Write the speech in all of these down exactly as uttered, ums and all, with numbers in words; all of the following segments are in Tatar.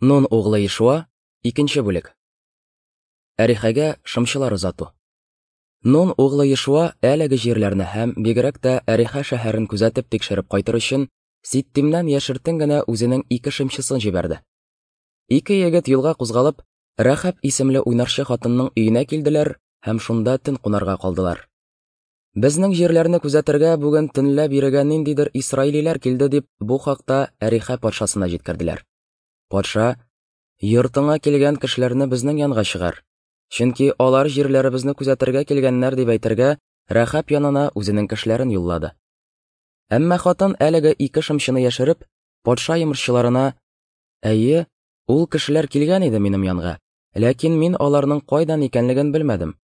Нун углы Ешуа, икенче бүлек. Әрихәгә шымчылар озату. Нун углы Ешуа әлеге җирләрне һәм бигрәк тә Әрихә шәһәрен күзәтеп тикшереп кайтыр өчен Ситтимнән яшертен генә үзенең ике шымчысын җибәрде. Ике егет юлга кузгалып, Рәхәб исемле уйнарчы хатынның өенә килделәр һәм шунда төн кунарга калдылар. Безнең җирләрне күзәтергә бүген төнлә бирегә ниндидер исраилиләр килде дип бу хакта Әрихә патшасына җиткерделәр. Патша: "Йортыңа килгән кешеләрне безнең янга чыгар, чөнки алар җирләребезне күзәтергә килгәннәр" дип әйтергә Рәхәб янына үзенең кешеләрен юллады. Әмма хатын әлеге ике шымчыны яшереп, патша йомышчыларына: "Әйе, ул кешеләр килгән иде минем янга, ләкин мин аларның кайдан икәнлеген белмәдем.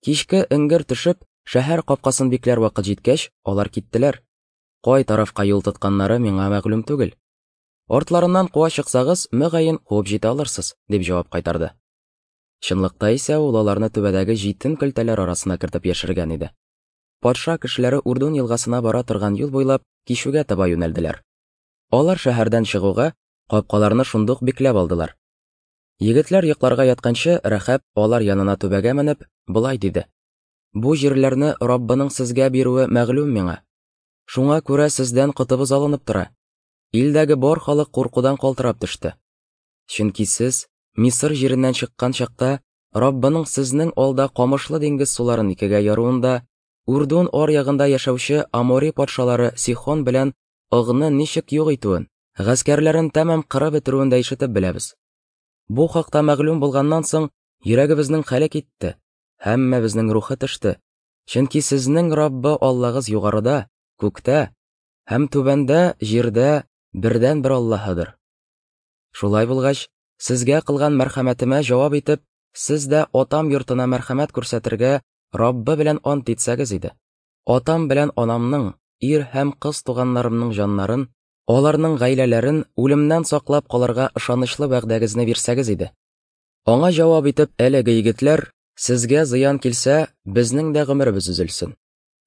Кичке эңгер төшеп, шәһәр капкасын бикләр вакыт җиткәч, алар киттеләр. Кай тарафка юл тотканнары миңа мәгълүм түгел. Артларыннан куа чыксагыз, мөгаен куып җитә алырсыз", дип җавап кайтарды. Чынлыкта исә ул аларны түбәдәге җитен көлтәләр арасына кертеп яшергән иде. Патша кешеләре Урдун елгасына бара торган юл буйлап кичүгә таба юнәлделәр. Алар шәһәрдән чыгуга капкаларны шундук бикләп алдылар. Егетләр йокларга ятканчы, Рәхәб алар янына түбәгә менеп, болай диде: "Бу җирләрне Раббының сезгә бирүе мәгълүм миңа. Шуңа күрә сездән котыбыз алынып тора. Илдәге бар халык куркудан калтырап төште. Чөнки сез Мисыр җиреннән чыккан чакта Раббының сезнең алда камышлы диңгез суларын икегә яруында, Урдун аръягында яшәүче Амори патшалары Сихон белән Огны ничек юк итүен, гаскәрләрен тәмам кырып бетерүен дә ишетеп беләбез. Бу хакта мәгълүм булганнан соң йөрәгебезнең хәле китте, һәммәбезнең рухы төште. Чөнки сезнең Раббы Аллагыз югарыда, күктә һәм түбәндә, җирдә бердән-бер Аллаһыдыр. Шулай булгач, сезгә кылган мәрхәмәтемә җавап итеп, сез дә атам йортына мәрхәмәт күрсәтергә Раббы белән ант итсәгез иде. Атам белән анамның, ир һәм кыз туганнарымның җаннарын, аларның гаиләләрен үлемнән саклап калырга ышанычлы вәгъдәгезне бирсәгез иде. Аңа җавап итеп әлеге егетләр: "Сезгә зыян килсә, безнең дә гомеребез өзелсен.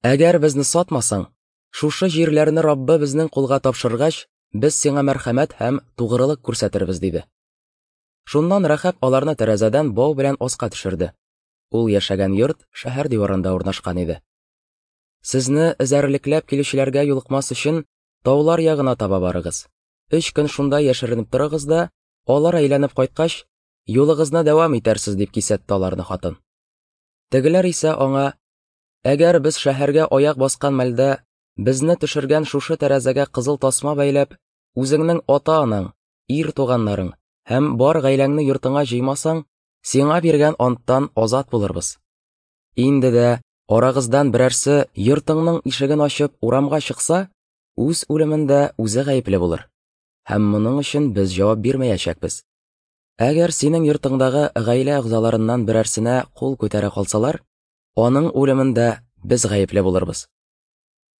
Әгәр безне сатмасаң, шушы җирләрне Раббы безнең кулга тапшыргач, без сиңа мәрхәмәт һәм тугрылык күрсәтербез", диде. Шуннан Рәхәб аларны тәрәзәдән бау белән аска төшерде. Ул яшәгән йорт шәһәр диварында урнашкан иде. "Сезне эзәрлекләп килүчеләргә юлыкмас өчен таулар ягына таба барыгыз. Өч көн шунда яшеренеп торыгыз да, алар әйләнеп кайткач, юлыгызны дәвам итәрсез", дип кисәтте аларны хатын. Тегеләр исә аңа: "Әгәр без шәһәргә аяк баскан мәлдә безне төшергән шушы тәрәзәгә кызыл тасма бәйләп, үзеңнең ата-анаң, ир туганнарың һәм бар гаиләңне йортыңа җыймасаң, сиңа биргән анттан азат булырбыз. Инде дә арагыздан берәрсе йортыңның ишеген ачып урамга чыкса, үз үлемендә үзе гаепле булыр. Һәм моның өчен без җавап бирмәячәкбез. Әгәр синең йортыңдагы гаилә әгъзаларыннан берәрсенә кул күтәрә калсалар, аның үлемендә без гаепле булырбыз.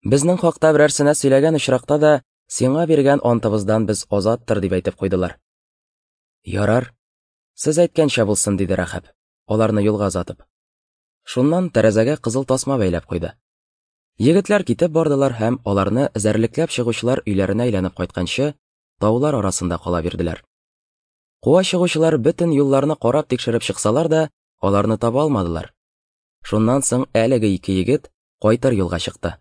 Безнең хакта берәрсенә сөйләгән очракта да сиңа биргән антыбыздан без азаттыр", дип әйтеп куйдылар. "Ярар, сез әйткәнчә булсын", диде Рәхәб, аларны юлга озатып. Шуннан тәрәзәгә кызыл тасма бәйләп куйды. Егетләр китеп бардылар һәм аларны эзәрлекләп чыгучылар өйләренә әйләнеп кайтканчы таулар арасында кала бирделәр. Куа чыгучылар бөтен юлларны карап тикшереп чыксалар да, аларны таба алмадылар. Шуннан соң әлеге ике егет кайтыр юлга чыкты.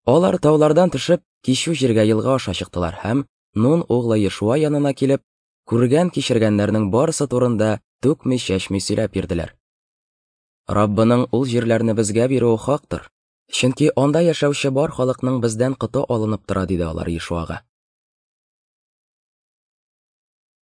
Алар таулардан төшеп, кичү җиргә елга аша чыктылар һәм Нун углы Ешуа янына килеп, күргән кичергәннәрнең барысы турында түкми-чәчми сөйләп бирделәр. "Раббының ул җирләрне безгә бирүе хактыр, чөнки анда яшәүче бар халыкның бездән коты алынып тора", диде алар Ешуага.